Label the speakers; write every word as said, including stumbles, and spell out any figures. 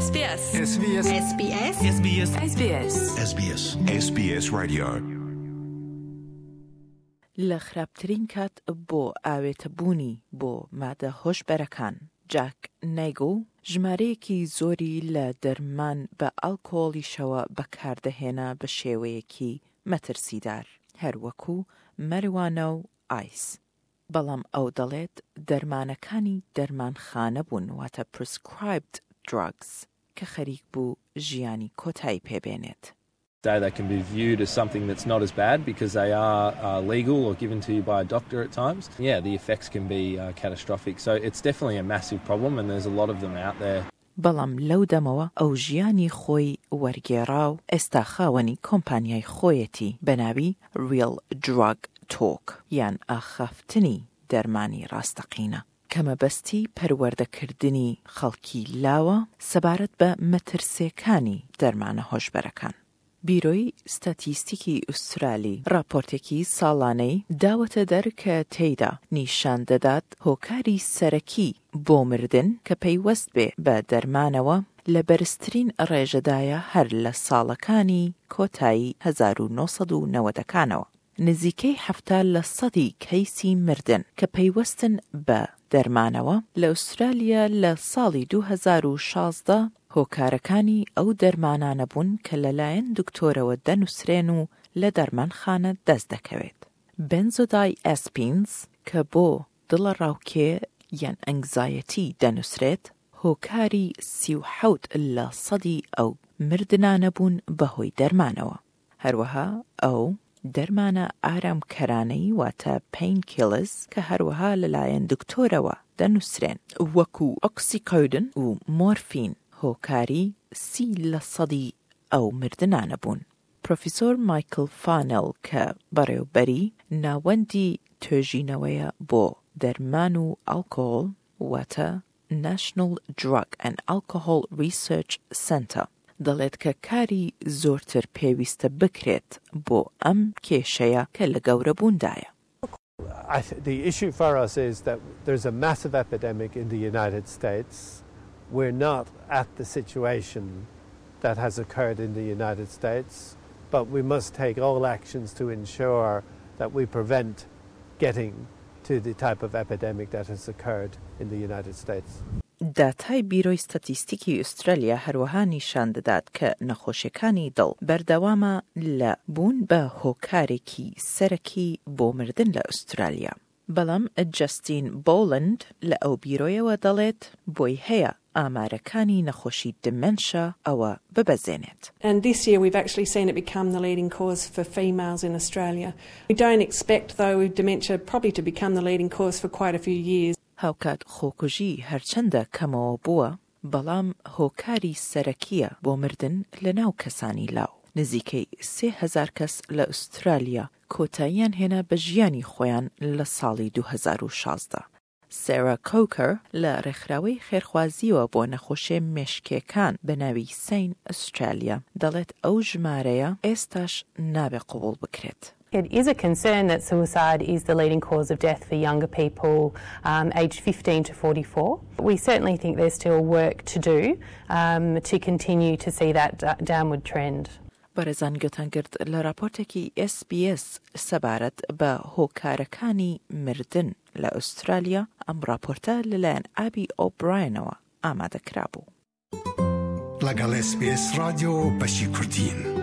Speaker 1: SBS
Speaker 2: SBS
Speaker 1: SBS
Speaker 3: SBS
Speaker 1: SBS
Speaker 4: SBS SBS Radio
Speaker 5: لە خراپترین کات بۆ ئاوێتەبوونی بۆ مادە هۆشبەرەکان، جاک نایگل ژمارەیەکی زۆری لە دەرمان بە ئەلکۆڵیشەوە بەکاردەهێنا بە شێوەیەکی مەترسیدار، هەروەکو مەروانە و ئایس. بەڵام ئەو دەڵێت دەرمانەکانی دەرمانخانە بوون، واتە prescribed drugs، کە خەریک بوو ژیانی کۆتایی پێبێنێت.
Speaker 6: Day they can be viewed as something that's not as bad because they are uh, legal or given to you by a doctor at times. Yeah, the effects can be uh, catastrophic. So it's definitely a massive problem and there's a lot of them out there.
Speaker 5: بەڵام لەو دەمەوە ئەو ژیانی خۆی وەرگێڕا و ئێستا خاوەنی کۆمپانیای خۆیەتی بە ناوی Real Drug Talk یان ئاخافتنی دەرمانی ڕاستەقینە، کە مەبەستی پەروەردەکردنی خەڵکی لاوە سەبارەت بە مەترسیەکانی دەرمانە هۆشبەرەکان. بیرۆی ستاتیستیکی ئوسترالی راپۆرتێکی ساڵانەی داوەتە دەر کە تێیدا نیشان دەدات هۆکاری سەرەکی بۆ مردن کە پەیوەست بێ بە دەرمانەوە لە بەرزترین ڕێژەدایە هەر لە ساڵەکانی کۆتایی هەزار و نۆ سەد و نەوەدەکانەوە. نزیکەی حەفتا لە سەدی کەیسی مردن کە پەیوەستن بە دەرمانەوە لە ئوسترالیا لە ساڵی دوو هەزار و شازدە هۆکارەکانی ئەو دەرمانانە بوون کە لەلایەن دکتۆرەوە دەنووسرێن و لە دەرمانخانە دەست دەکەوێت. بنزۆدای ئەسپینز کە بۆ دڵەڕاوکێ یان ئەنگزایەتی دەنووسرێت، هۆکاری سی و حەوت لە سەدی ئەو مردنانە بوون بەهۆی دەرمانەوە. هەروەها ئەو دەرمانە ئارامکەرانەی واتە painkillers کە هەروەها لەلایەن دکتۆرەوە دەنووسرێن وەکو ئۆکسیکۆدن و مۆرفین هۆکاری سی لە سەدی ئەو مردنانە بوون. پرۆفیسۆر مایکل فانل کە بەڕێوبەری ناوەندی توێژینەوەیە بۆ دەرمان و ئەلکۆهۆل واتە National Drug and Alcohol Research Center دەڵێت کە کاری زۆرتر پێویستە بکرێت بۆ ئەم کێشەیە کە لە گەورەبووندایە.
Speaker 7: I th-, the issue for us is that there's a massive epidemic in the United States. We're not at the situation that has occurred in the United States, but we must take all actions to ensure that we prevent getting to the type of epidemic that has occurred in the United States.
Speaker 5: داتای بیرۆی ستاتیستیکی ئوسترالیا هەروەها نیشان دەدات کە نەخۆشیەکانی دڵ بەردەوامە لە بوون بە هۆکارێکی سەرەکی بۆ مردن لە ئوسترالیا. بەڵام جاستین بۆلند لە ئەو بیرۆیەوە دەڵێت بۆی هەیە ئامارەکانی نەخۆشی دیمنشا ئەوە ببەزێنێت.
Speaker 8: And this year we've actually seen it become the leading cause for females in Australia. We don't expect though dementia probably to become the leading cause for quite a few years.
Speaker 5: هاوکات خۆکوژی هەرچەندە کەمەوە بووە، بەڵام هۆکاری سەرەکیە بۆ مردن لە ناو کەسانی لاو. نزیکەی سێ هەزار کەس لە ئوسترالیا کۆتاییان هێنا بە ژیانی خۆیان لە ساڵی دوو هەزار و شازدە. سێرا کۆکەر لە ڕێکخراوەی خێرخوازیەوە بۆ نەخۆشیە مێشکیەکان بە ناوی سەین ئوسترالیا دەڵێت ئەو ژمارەیە ئێستاش نابێ قبوڵ بکرێت.
Speaker 9: It is a concern that suicide is the leading cause of death for younger people, um, aged fifteen to forty-four. We certainly think there's still work to do, um, to continue to see that d-, downward trend.
Speaker 5: بەڕێزان گوێتان گرت لە راپۆرتێکی ئێس بی ئێس سەبارەت بە هۆکارەکانی مردن لە ئوسترالیا. ئەم راپۆرتە لەلایەن ئابی ئۆبراینەوە ئامادەکرابوو.
Speaker 2: لەگەڵ ئێس بی ئێس رادیۆ بەشی کوردین.